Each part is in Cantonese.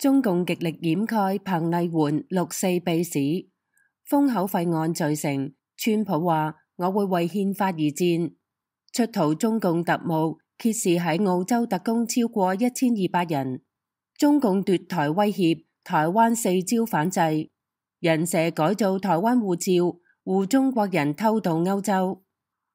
中共極力掩蓋彭麗媛六四秘史，封口費案罪成。川普話我會為憲法而戰。出逃中共特務揭示喺澳洲特工超過1200人。中共奪台威脅，台灣4招反制。人蛇改造台灣護照，護中國人偷渡歐洲。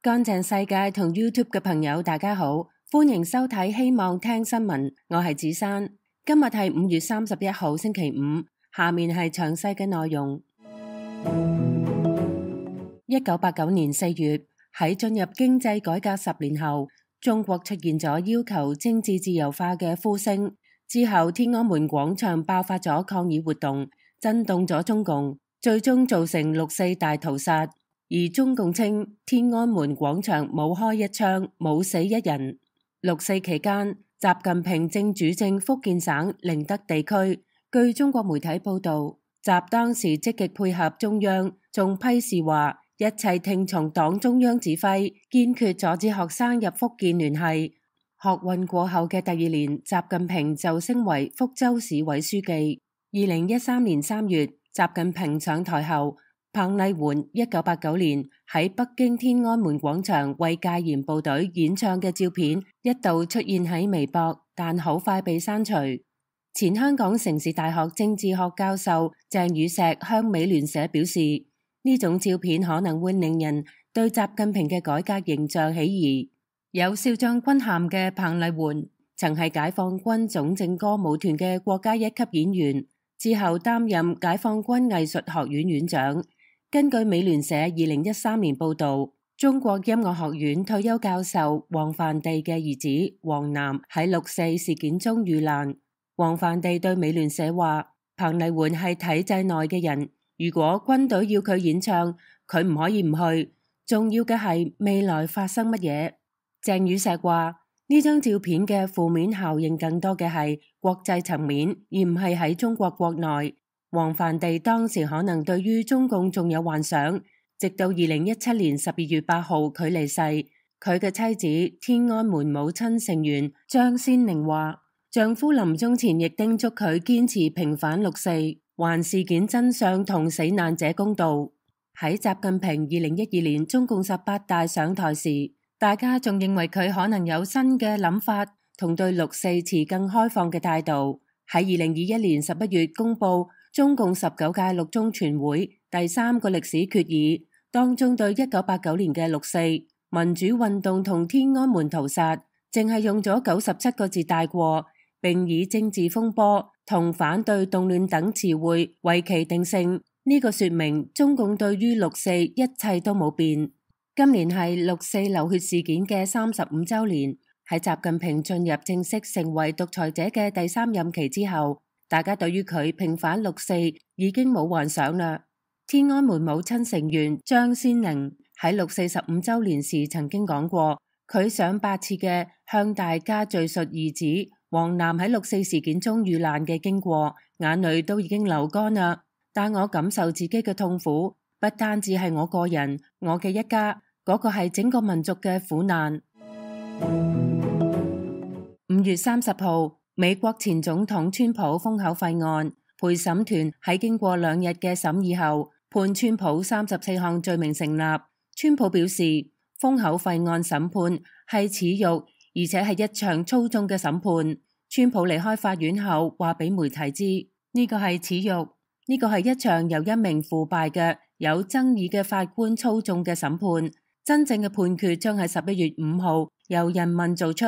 乾淨世界同 YouTube 嘅朋友大家好，歡迎收睇希望聽新聞，我係子珊。今日係5月31號星期五，下面係詳細嘅內容。1989年4月，喺進入經濟改革10年後，中國出現咗要求政治自由化嘅呼聲。之後，天安門廣場爆發咗抗議活動，震動咗中共，最終造成六四大屠殺。而中共稱天安門廣場冇開一槍，冇死一人。六四期間，習近平正主政福建省寧德地區。據中國媒體報道，習當時積極配合中央，仲批示話一切聽從黨中央指揮，堅決阻止學生入福建聯繫。學運過後嘅第二年，習近平就升為福州市委書記。2013年3月，習近平上台後，彭麗媛1989年喺北京天安門廣場為戒嚴部隊演唱嘅照片一度出現喺微博，但好快被刪除。前香港城市大學政治學教授鄭宇碩向美聯社表示，呢種照片可能會令人對習近平嘅改革形象起疑。有少將軍銜嘅彭麗媛曾係解放軍總政歌舞團嘅國家一級演員，之後擔任解放軍藝術學院院長。根據美聯社2013年報道，中國音樂學院退休教授王梵地嘅兒子王楠喺六四事件中遇難。王梵地對美聯社話，彭麗媛係體制內嘅人，如果軍隊要佢演唱，佢唔可以唔去。重要嘅係未來發生乜嘢。鄭宇碩話，呢張照片嘅負面效應更多嘅係國際層面，而唔係喺中國國內。王梵地當時可能對於中共仲有幻想，直到2017年12月8號佢離世。佢嘅妻子天安門母親成員張先寧話，丈夫臨終前亦叮囑佢堅持平反六四，還事件真相同死難者公道。喺習近平2012年中共18大上台時，大家仲認為佢可能有新嘅諗法，同對六四持更開放嘅態度。喺2021年11月公布中共19屆六中全會第3個歷史決議，當中對1989年嘅六四民主運動同天安門屠殺，淨係用咗97個字帶過，並以政治風波同反對動亂等詞彙為其定性。呢個說明中共對於六四一切都冇變。今年係六四流血事件嘅35週年，喺習近平進入正式成為獨裁者嘅第3任期之後，大家對於佢平反六四已經冇幻想啦。天安門母親成員張先寧喺六四15週年時曾經講過，佢上百次嘅向大家敘述兒子王楠喺六四事件中遇難嘅經過，眼淚都已經流乾啦。但我感受自己嘅痛苦，不單止係我個人，我嘅一家，嗰個係整個民族嘅苦難。5月30號，美國前總統川普封口費案，陪審團喺經過2日嘅審議後，判川普34項罪名成立。川普表示，封口費案審判係恥辱，而且係一場操縱嘅審判。川普離開法院後，話俾媒體知，呢個係恥辱，呢個係一場由一名腐敗嘅有爭議嘅法官操縱嘅審判。真正嘅判決將喺11月5號由人民做出。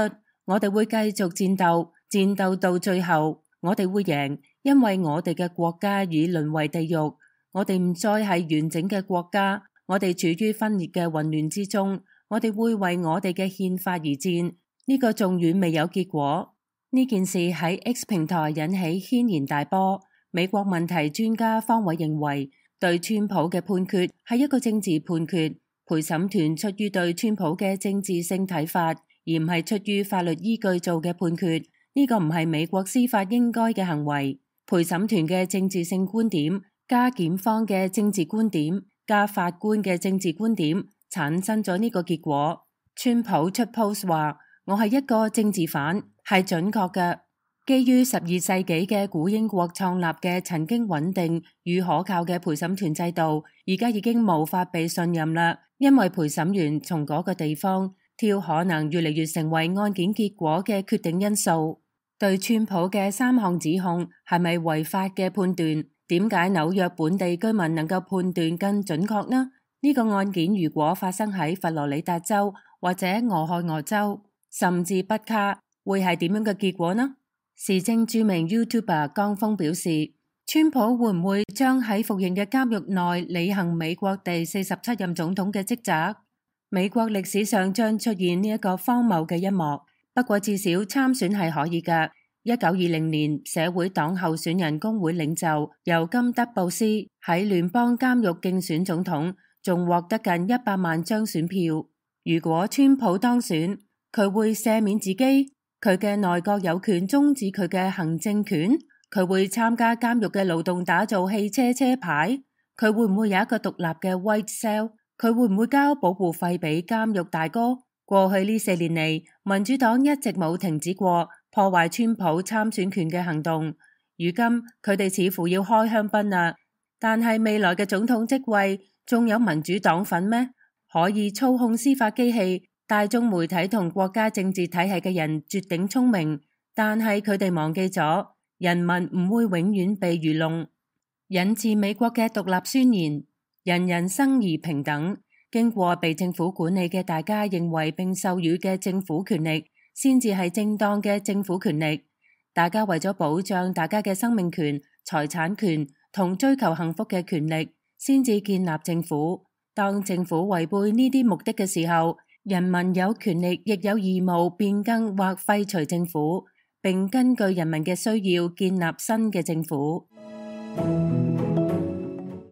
我哋會繼續戰鬥，戰鬥到最後，我哋會贏，因為我哋嘅國家已淪為地獄。我哋唔再係完整嘅國家，我哋處於分裂嘅混亂之中。我哋會為我哋嘅憲法而戰。呢個仲遠未有結果。呢件事喺 X 平台引起軒然大波。美國問題專家方偉認為，對川普嘅判決係一個政治判決。陪審團出於對川普嘅政治性睇法，而唔係出於法律依據做嘅判決。呢個唔係美國司法應該嘅行為。陪審團嘅政治性觀點加檢方嘅政治觀點加法官嘅政治觀點，產生咗呢個結果。川普出 post 話，我係一個政治犯，係準確嘅。基於12世紀嘅古英國創立嘅曾經穩定與可靠嘅陪審團制度，而家已經無法被信任啦，因為陪審員從嗰個地方挑可能越嚟越成為案件結果嘅決定因素。對川普嘅3項指控係咪違法嘅判斷？點解紐約本地居民能夠判斷更準確呢？呢個案件如果發生喺佛羅里達州或者俄亥俄州，甚至北卡，會係點樣嘅結果呢？時政著名 YouTuber 江峰表示，川普會唔會將喺服刑嘅監獄內履行美國第47任總統嘅職責？美國歷史上將出現呢一個荒謬嘅一幕，不過至少參選係可以㗎。1920年，社會黨候選人工會領袖尤金德布斯喺聯邦監獄競選總統，仲獲得近100萬張選票。如果川普當選，佢會赦免自己？佢嘅內閣有權終止佢嘅行政權？佢會參加監獄嘅勞動打造汽車車牌？佢會唔會有一個獨立嘅 White Cell？佢會唔會交保護費俾監獄大哥？過去呢4年嚟，民主黨一直冇停止過破壞川普參選權嘅行動。如今佢哋似乎要開香檳啦，但係未來嘅總統職位仲有民主黨份咩？可以操控司法機器、大眾媒體同國家政治體系嘅人絕頂聰明，但係佢哋忘記咗人民唔會永遠被愚弄。引自美國嘅獨立宣言，人人生而平等。經過被政府管理嘅大家認為並授予嘅政府權力，先至係正當嘅政府權力。大家為咗保障大家嘅生命權、財產權同追求幸福嘅權力，先至建立政府。當政府違背呢啲目的嘅時候，人民有權力亦有義務變更或廢除政府，並根據人民嘅需要建立新嘅政府。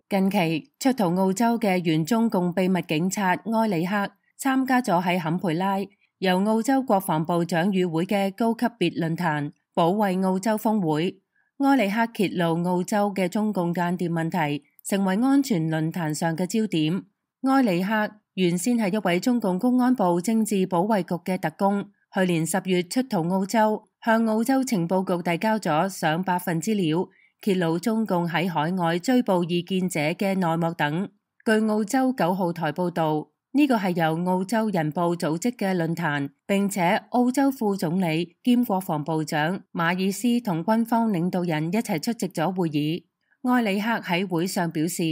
近期出逃澳洲嘅原中共秘密警察埃里克參加咗喺坎培拉由澳洲國防部長與會嘅高級別論壇保衛澳洲峰會。埃里克揭露澳洲嘅中共間諜問題，成為安全論壇上嘅焦點。埃里克原先係一位中共公安部政治保衛局嘅特工，去年10月出逃澳洲，向澳洲情報局遞交咗上百份資料，揭露中共喺海外追捕異見者嘅內幕等。據澳洲9號台報道，呢個係由澳洲人報組織嘅論壇，並且澳洲副總理兼國防部長馬爾斯同軍方領導人一齊出席咗會議。埃里克喺會上表示，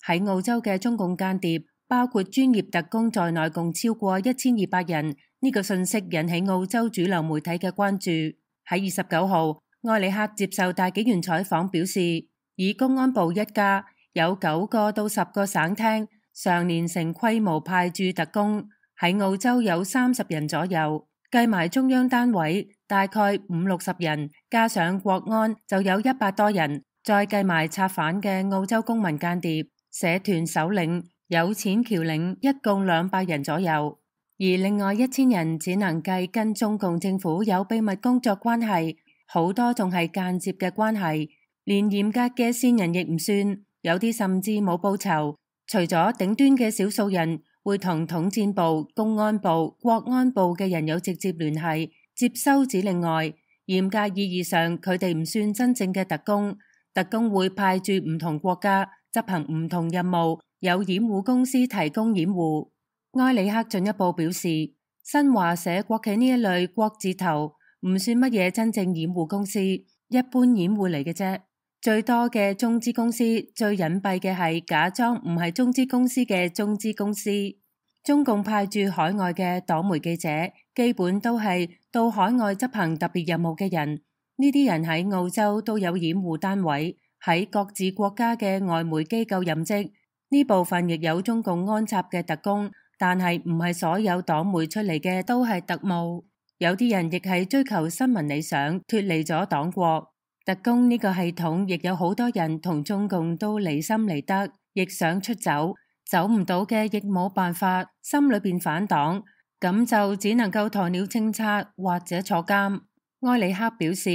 喺澳洲嘅中共間諜包括專業特工在內共超過1200人，呢個信息引起澳洲主流媒體嘅關注。喺29號，埃里克接受大紀元採訪表示，以公安部一家有9個到10個省廳常年成規模派駐特工，喺澳洲有30人左右，計埋中央單位大概50-60人，加上國安就有100多人，再計埋策反嘅澳洲公民間諜、社團首領、有錢僑領，一共200人左右，而另外1000人只能計跟中共政府有秘密工作關係，好多仲係間接嘅關係，連嚴格嘅線人亦唔算，有啲甚至冇報酬。除咗頂端嘅少數人會同統戰部、公安部、國安部嘅人有直接聯繫，接收指令外，嚴格意義上佢哋唔算真正嘅特工。特工會派駐唔同國家執行唔同任務，有掩護公司提供掩護。埃里克進一步表示，新華社、國企呢一類國字頭唔算乜嘢真正掩護公司，一般掩護嚟嘅啫。最多嘅中資公司，最隱蔽嘅係假裝唔係中資公司嘅中資公司。中共派駐海外嘅黨媒記者，基本都係到海外執行特別任務嘅人。呢啲人喺澳洲都有掩護單位，喺各自國家嘅外媒機構任職。呢部分亦有中共安插嘅特工，但係唔係所有黨媒出嚟嘅都係特務。有啲人亦係追求新聞理想，脫離咗黨國。特工呢個系統亦有好多人同中共都離心離德，亦想出走，走唔到嘅亦冇辦法，心裏邊反黨，咁就只能夠鴕鳥政策或者坐監。埃里克表示，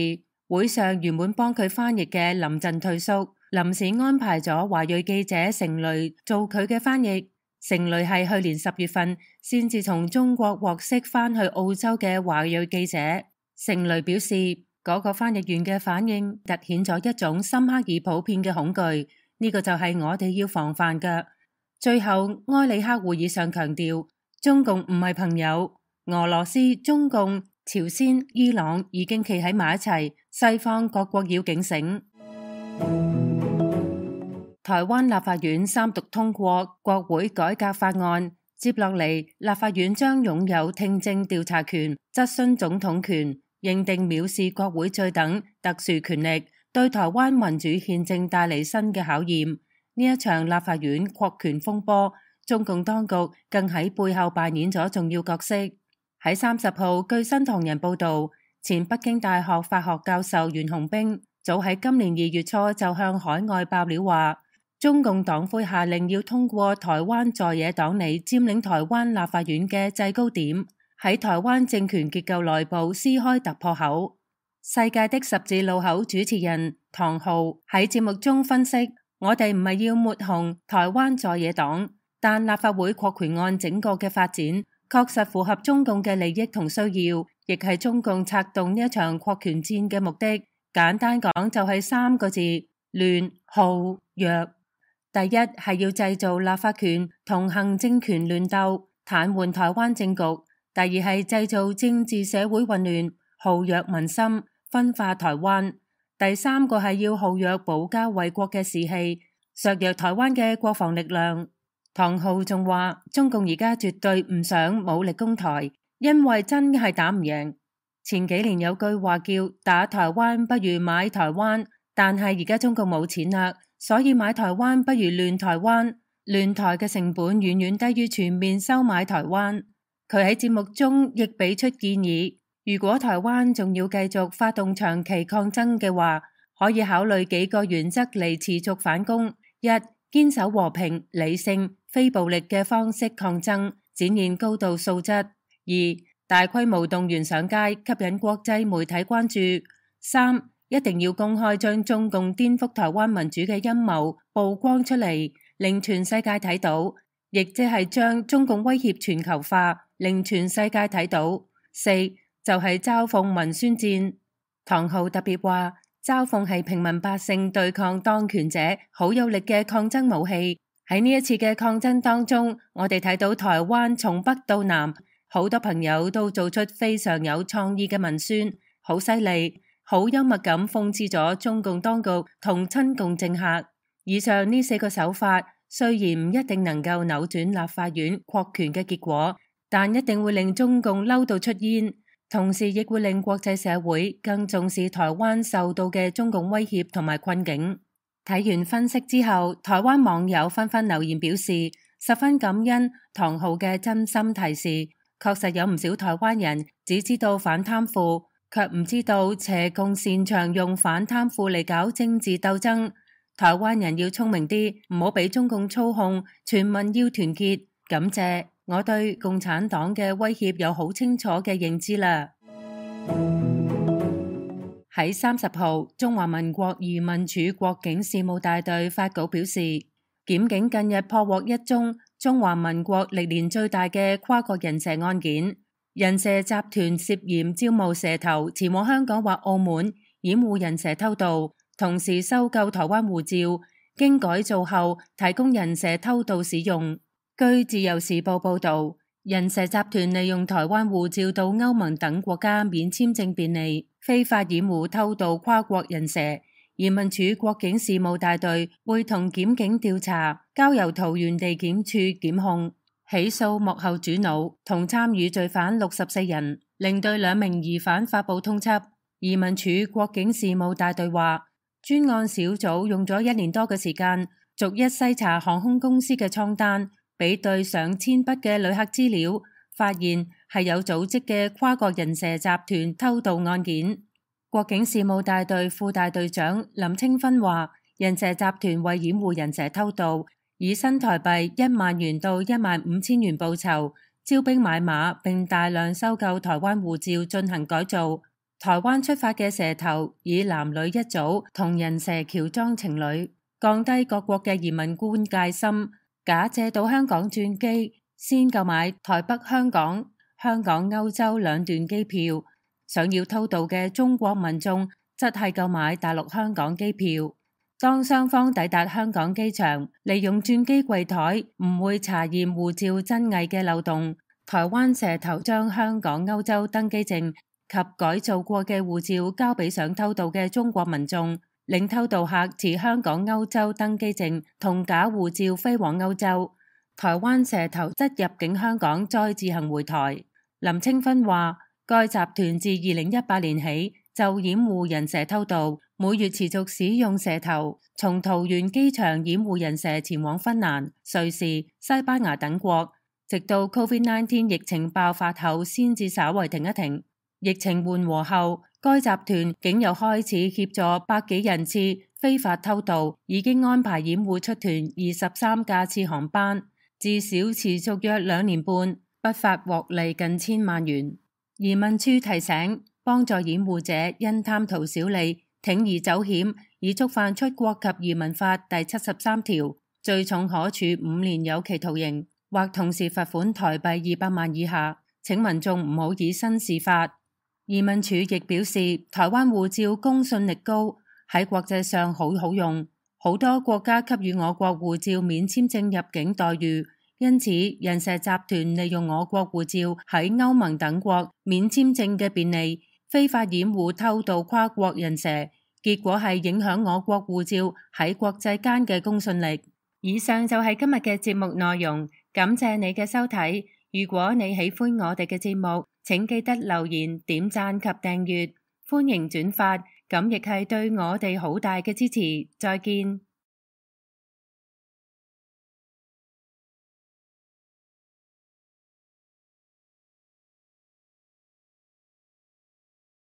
會上原本幫佢翻譯嘅臨陣退縮，臨時安排咗華裔記者成蕾做佢嘅翻譯。成蕾係去年10月份先至從中國獲釋翻去澳洲嘅華裔記者。成蕾表示，嗰個翻譯員嘅反應凸顯咗一種深刻而普遍嘅恐懼，呢個就係我哋要防範嘅。最後，埃里克會議上強調，中共唔係朋友，俄羅斯、中共、朝鮮、伊朗已經企喺埋一齊，西方各國要警醒。台灣立法院三讀通過國會改革法案，接落嚟立法院將擁有聽證調查權、質詢總統權、認定藐視國會罪等特殊權力，對台灣民主憲政帶嚟新嘅考驗。呢一場立法院擴權風波，中共當局更喺背後扮演咗重要角色。喺30號，據新唐人報導，前北京大學法學教授袁洪兵早喺今年2月初就向海外爆料話，中共黨魁下令要通過台灣在野黨你佔領台灣立法院嘅制高點，喺台灣政權結構內部撕開突破口。世界的十字路口主持人唐浩喺節目中分析，我哋唔係要抹紅台灣在野黨，但立法會擴權案整個嘅發展確實符合中共嘅利益同需要，亦係中共策動呢一場擴權戰嘅目的。簡單講就係3個字：亂、耗、弱。第一係要製造立法權同行政權亂鬥，癱瘓台灣政局；第二係製造政治社會混亂，耗弱民心，分化台灣；第三個係要耗弱保家衛國嘅士氣，削弱台灣嘅國防力量。唐浩仲話，中共而家絕對唔想武力攻台，因為真係打唔贏。前幾年有句話叫打台灣不如買台灣，但係而家中共冇錢啦。所以買台灣不如亂台灣，亂台嘅成本遠遠低於全面收買台灣。佢喺節目中亦俾出建議，如果台灣仲要繼續發動長期抗爭嘅話，可以考慮幾個原則嚟持續反攻：一、堅守和平、理性、非暴力嘅方式抗爭，展現高度素質；二、大規模動員上街，吸引國際媒體關注；三、一定要公開將中共顛覆台灣民主嘅陰謀曝光出嚟，令全世界睇到，亦即係將中共威脅全球化，令全世界睇到。四就係嘲諷文宣戰。唐浩特別話，嘲諷係平民百姓對抗當權者好有力嘅抗爭武器。喺呢一次嘅抗爭當中，我哋睇到台灣從北到南，好多朋友都做出非常有創意嘅文宣，好犀利。好幽默咁諷刺咗中共當局同親共政客。以上呢4個手法雖然唔一定能夠扭轉立法院擴權嘅結果，但一定會令中共嬲到出煙，同時亦會令國際社會更重視台灣受到嘅中共威脅同埋困境。睇完分析之後，台灣網友紛紛留言表示十分感恩唐浩嘅真心提示。確實有唔少台灣人只知道反貪腐，卻唔知道邪共擅長用反貪腐嚟搞政治鬥爭。台灣人要聰明啲，唔好俾中共操控，全民要團結。感謝，我對共產黨嘅威脅有好清楚嘅認知啦。喺30號，中華民國移民署國境事務大隊發稿表示，檢警近日破獲一宗中華民國歷年最大嘅跨國人蛇案件。人蛇集團涉嫌招募蛇頭前往香港或澳門掩護人蛇偷渡，同時收購台灣護照，經改造後提供人蛇偷渡使用。據自由時報報道，人蛇集團利用台灣護照到歐盟等國家免簽證便利，非法掩護偷渡跨國人蛇。移民署國境事務大隊會同檢警調查，交由桃園地檢處檢控。起訴幕後主腦同參與罪犯64人，另對2名疑犯發布通緝。移民署國境事務大隊話，專案小組用咗1年多嘅時間，逐一篩查航空公司嘅艙單，比對上千筆嘅旅客資料，發現係有組織嘅跨國人蛇集團偷渡案件。國境事務大隊副大隊長林清芬話，人蛇集團為掩護人蛇偷渡，以新台幣1萬元到15000元報酬，招兵買馬，並大量收購台灣護照進行改造。台灣出發嘅蛇頭以男女一組同人蛇喬裝情侶，降低各國嘅移民官戒心，假借到香港轉機，先購買台北、香港、歐洲2段機票，想要偷渡嘅中國民眾則係購買大陸香港機票。當雙方抵達香港機場，利用轉機櫃台唔會查驗護照真偽嘅漏洞，台灣蛇頭將香港歐洲登機證及改造過嘅護照交俾想偷渡嘅中國民眾，令偷渡客持香港歐洲登機證同假護照飛往歐洲。台灣蛇頭則入境香港再自行回台。林清芬話，該集團自2018年起就掩護人蛇偷渡，每月持續使用蛇頭，從桃園機場掩護人蛇前往芬蘭、瑞士、西班牙等國，直到 COVID-19 疫情爆發後先至稍為停一停。疫情緩和後，該集團竟又開始協助百幾人次非法偷渡，已經安排掩護出團23架次航班，至少持續約2年半，不法獲利近千萬元。移民處提醒，幫助掩護者因貪圖小利，鋌而走險，已觸犯出國及移民法第73條，最重可處5年有期徒刑，或同時罰款台幣200萬以下。請民眾唔好以身試法。移民署亦表示，台灣護照公信力高，喺國際上好用，好多國家給予我國護照免簽證入境待遇，因此人蛇集團利用我國護照喺歐盟等國免簽證嘅便利，非法掩護偷渡跨國人蛇，結果係影響我國護照喺國際間嘅公信力。以上就係今日嘅節目內容，感謝你嘅收睇。如果你喜歡我哋嘅節目，請記得留言、點讚及訂閱，歡迎轉發，咁亦係對我哋好大嘅支持。再見。